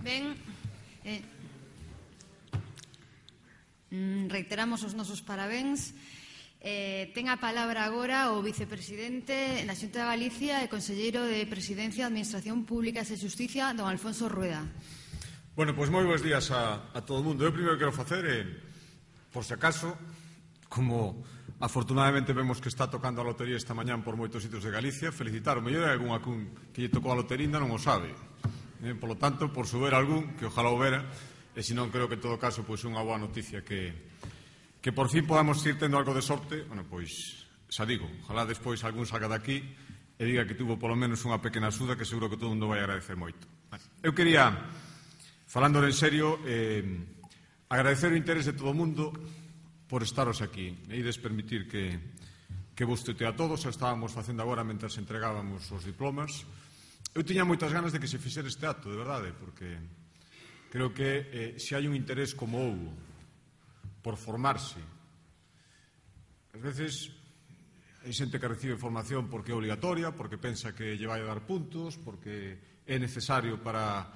Ben, reiteramos os nosos parabéns. Ten a palabra agora o vicepresidente da Xunta de Galicia e conselleiro de Presidencia, Administración Pública e Xusticia, don Alfonso Rueda. Bueno, pois moi bons días a todo o mundo. Eu primeiro quero facer, por se acaso, como afortunadamente vemos que está tocando a lotería esta mañán por moitos sitios de Galicia, felicitar o mellor é algún que lle tocou a lotería non o sabe. Por lo tanto, por souber algún, que ojalá o vera, e senón creo que en todo caso pois unha boa noticia que por fin podamos ir tendo algo de sorte. Bueno, pois, xa digo, ojalá despois algún salga daqui e diga que tuvo polo menos unha pequena axuda que seguro que todo o mundo vai agradecer moito. Eu quería, falando en serio, agradecer o interés de todo o mundo por estaros aquí. E ides permitir que vos tutee a todos. Estábamos facendo agora mentras entregábamos os diplomas. Eu tiña moitas ganas de que se fixera este acto, de verdade, porque creo que se hai un interés como houbo por formarse. Ás veces hai xente que recibe formación porque é obligatoria, porque pensa que lle vai a dar puntos, porque é necesario para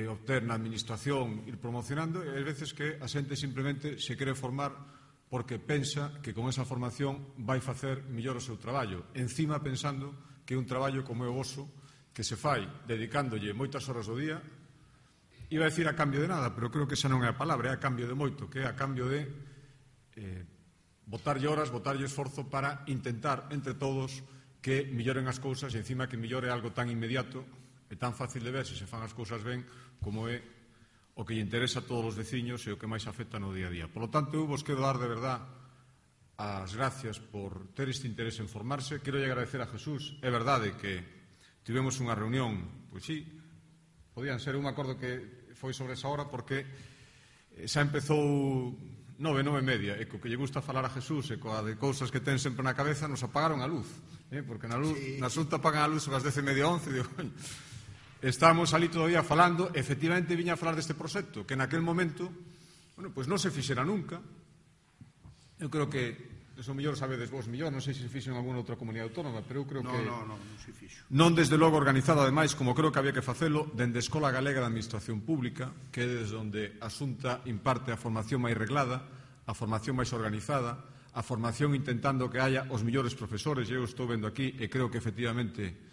obter na administración ir promocionando, e ás veces que a xente simplemente se quere formar porque pensa que con esa formación vai facer mellor o seu traballo, encima pensando que é un traballo como é o voso, que se fai dedicándolle moitas horas do día, iba a decir a cambio de nada, pero creo que esa non é a palabra, é a cambio de moito, que é a cambio de botarlle horas, botarlle esforzo para intentar entre todos que melloren as cousas, e encima que mellore algo tan inmediato e tan fácil de ver se se fan as cousas ben como é o que lle interesa a todos os veciños e o que máis afecta no día a día. Por lo tanto, eu vos quero dar de verdad as gracias por ter este interés en formarse. Quero agradecer a Jesús. É verdade que tivemos unha reunión, pois sí, podían ser, eu me acordo que foi sobre esa hora porque xa empezou 9:30, e co que lle gusta falar a Jesús e coa de cousas que ten sempre na cabeza nos apagaron a luz, porque na Xunta apagan a luz ás 10:30, 11, digo, estábamos ali todavía falando, efectivamente viña a falar deste proxecto, que naquel momento, bueno, pois non se fixera nunca. Eu creo que eso mellor sabedes vos mellor, non sei se fixo en alguna outra comunidade autónoma, pero eu creo que non se fixo. Non desde logo organizado, ademais, como creo que había que facelo, dende a Escola Galega de Administración Pública, que é desde onde a Xunta imparte a formación máis reglada, a formación máis organizada, a formación intentando que haya os mellores profesores. Eu estou vendo aquí e creo que efectivamente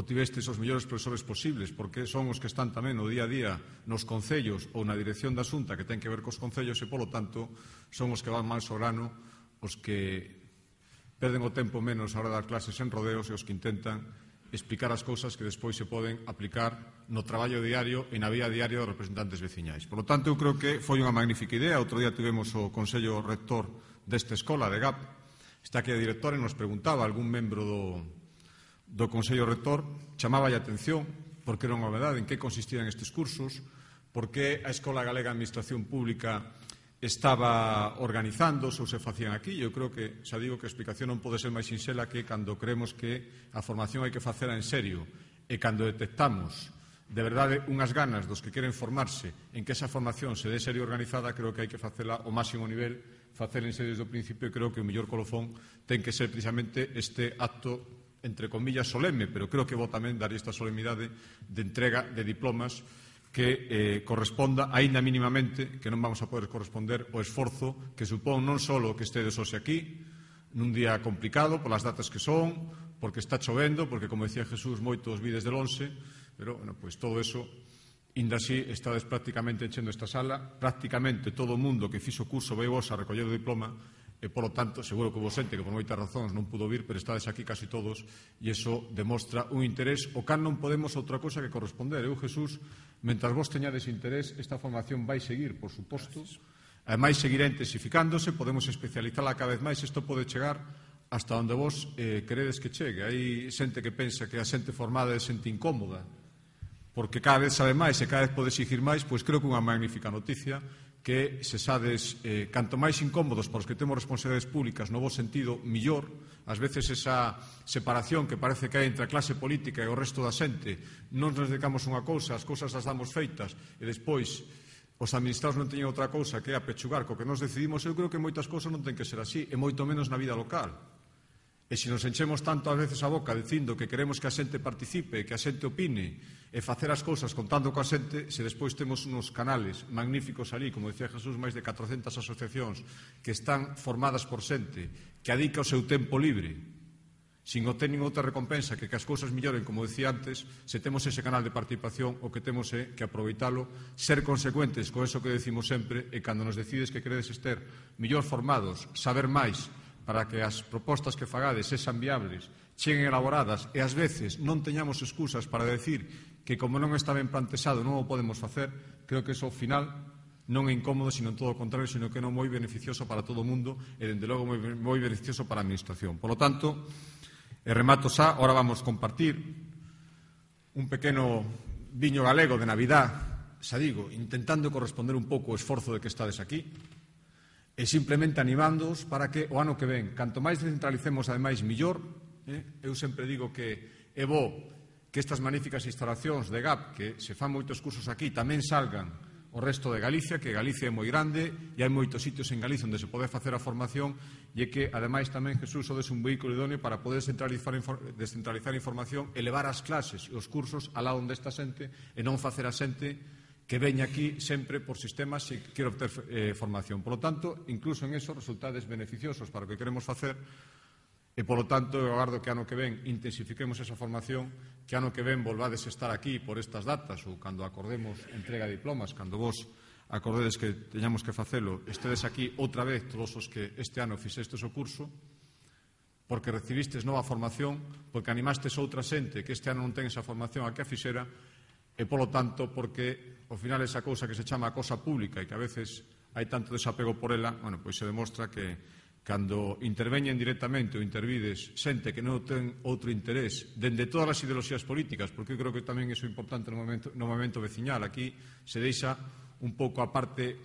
tivestes os mellores profesores posibles, porque son os que están tamén no día a día nos concellos ou na dirección da Xunta, que ten que ver cos concellos, e, polo tanto, son os que van máis ao grano, os que perden o tempo menos a hora de dar clases en rodeos e os que intentan explicar as cousas que despois se poden aplicar no traballo diario e na vía diaria dos representantes veciñais. Por lo tanto, eu creo que foi unha magnífica idea. Outro día tivemos o Consello Rector desta escola, de GAP. Está aquí a directora e nos preguntaba algún membro do Consello Rector, chamaba a atención porque era unha novedade en que consistían estes cursos, porque a Escola Galega de Administración Pública estaba organizando, ou se facían aquí. Eu creo que, xa digo, que a explicación non pode ser máis sinxela que cando creemos que a formación hai que facela en serio e cando detectamos de verdade unhas ganas dos que queren formarse en que esa formación se dé serio organizada, creo que hai que facela ao máximo nivel, facela en serio desde o principio, e creo que o mellor colofón ten que ser precisamente este acto, entre comillas, solemne, pero creo que vou tamén dar esta solemnidade de entrega de diplomas que corresponda, aínda mínimamente, que non vamos a poder corresponder o esforzo que supón non só que estedes hoxe aquí, nun día complicado, polas datas que son, porque está chovendo, porque, como decía Jesús, moitos vides del 11, pero, bueno, pois todo eso, inda así, estades prácticamente enchendo esta sala, prácticamente todo o mundo que fixo o curso vai vos a recoller o diploma, e, polo tanto, seguro que vos xente que por moitas razóns non pudo vir, pero estades aquí casi todos, e iso demostra un interés o cal non podemos outra cosa que corresponder. Eu, Jesús, mentras vos teñades interés, esta formación vai seguir, por suposto. Ademais, seguirá intensificándose, podemos especializala cada vez máis, isto pode chegar hasta onde vos queredes que chegue. Hai xente que pensa que a xente formada é xente incómoda, porque cada vez sabe máis e cada vez pode exigir máis, pois creo que unha magnífica noticia que se sades canto máis incómodos para os que temos responsabilidades públicas no bo sentido, millor. Ás veces esa separación que parece que hai entre a clase política e o resto da xente, non nos dedicamos a unha cousa, as cousas as damos feitas e despois os administrados non teñen outra cousa que é apechugar co que nos decidimos. Eu creo que moitas cousas non ten que ser así, e moito menos na vida local. E se nos enchemos tanto ás veces a boca dicindo que queremos que a xente participe, que a xente opine e facer as cousas contando coa xente, se despois temos uns canales magníficos ali, como decía Jesús, máis de 400 asociacións que están formadas por xente que adica o seu tempo libre sin obter nin outra recompensa que as cousas melloren, como decía antes, se temos ese canal de participación, o que temos é que aproveitalo, ser consecuentes con eso que decimos sempre, e cando nos decides que queredes estar mellor formados, saber máis, para que as propostas que fagades sexan viables, cheguen elaboradas e ás veces non teñamos excusas para decir que como non está ben plantexado non o podemos facer, creo que iso ao final non é incómodo, sino en todo o contrario, sino que non moi beneficioso para todo o mundo e, dende logo, moi beneficioso para a Administración. Por lo tanto, e remato xa, ahora vamos compartir un pequeno viño galego de Navidad, xa digo, intentando corresponder un pouco o esforzo de que estades aquí, e simplemente animándoos para que o ano que ven, canto máis descentralicemos, ademais, millor. Eu sempre digo que é bo que estas magníficas instalacións de GAP, que se fan moitos cursos aquí, tamén salgan o resto de Galicia, que Galicia é moi grande e hai moitos sitios en Galicia onde se pode facer a formación, e que, ademais, tamén, Jesús, sodes un vehículo idóneo para poder descentralizar información, elevar as clases e os cursos alá onde está xente e non facer a xente que veña aquí sempre por sistemas se quere obter formación. Por lo tanto, incluso en eso, resultades beneficiosos para o que queremos facer e, por lo tanto, eu agardo que ano que ven intensifiquemos esa formación, que ano que ven volvades a estar aquí por estas datas ou cando acordemos entrega de diplomas, cando vos acordedes que teñamos que facelo, estedes aquí outra vez todos os que este ano fixestes o curso, porque recibistes nova formación, porque animastes outra xente que este ano non ten esa formación a que a fixera, e, polo tanto, porque ao final esa cousa que se chama a cosa pública e que a veces hai tanto desapego por ela, bueno, pois se demostra que cando interveñen directamente ou intervides xente que non ten outro interés dende todas as ideoloxías políticas, porque eu creo que tamén iso é importante no movimento veciñal, aquí se deixa un pouco aparte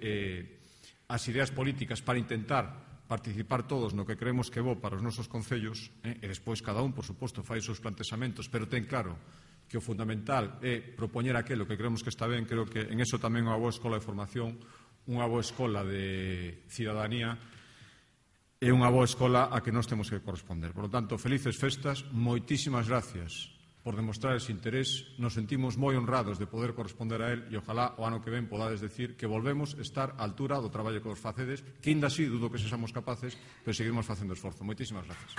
as ideas políticas para intentar participar todos no que creemos que é bo para os nosos concellos, e despois cada un, por suposto, fai os seus plantexamentos, pero ten claro que o fundamental é propoñer aquilo que creemos que está ben. Creo que en eso tamén unha boa escola de formación, unha boa escola de cidadanía e unha boa escola a que nós temos que corresponder. Por lo tanto, felices festas, moitísimas gracias por demostrar ese interés. Nos sentimos moi honrados de poder corresponder a él e ojalá o ano que ven podades decir que volvemos a estar á altura do traballo que os facedes, que ainda así dudo que sexamos capaces, pero seguimos facendo esforzo. Moitísimas gracias.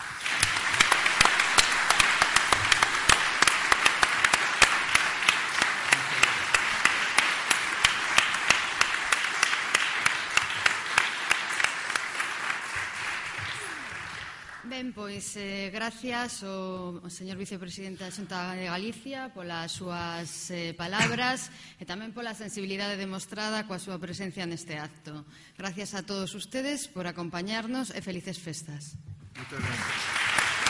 Ben, pois, gracias ao señor vicepresidente da Xunta de Galicia polas súas palabras e tamén pola sensibilidade demostrada coa súa presencia neste acto. Gracias a todos ustedes por acompañarnos e felices festas. Muchas gracias.